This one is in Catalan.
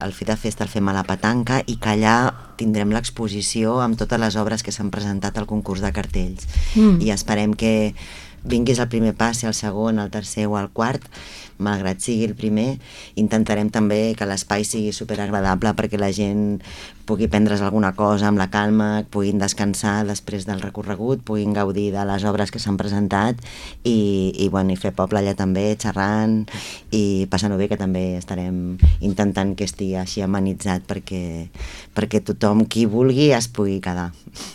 el Fita Festa el fem a la Petanca i que allà tindrem l'exposició amb totes les obres que s'han presentat al concurs de cartells. I esperem que vinguis el primer pas, si el segon, el tercer o el quart, malgrat sigui el primer, intentarem també que l'espai sigui superagradable perquè la gent pugui prendre's alguna cosa amb la calma, puguin descansar després del recorregut, puguin gaudir de les obres que s'han presentat i fer poble allà també, xerrant i passant-ho bé, que també estarem intentant que estigui així amenitzat perquè tothom qui vulgui es pugui quedar.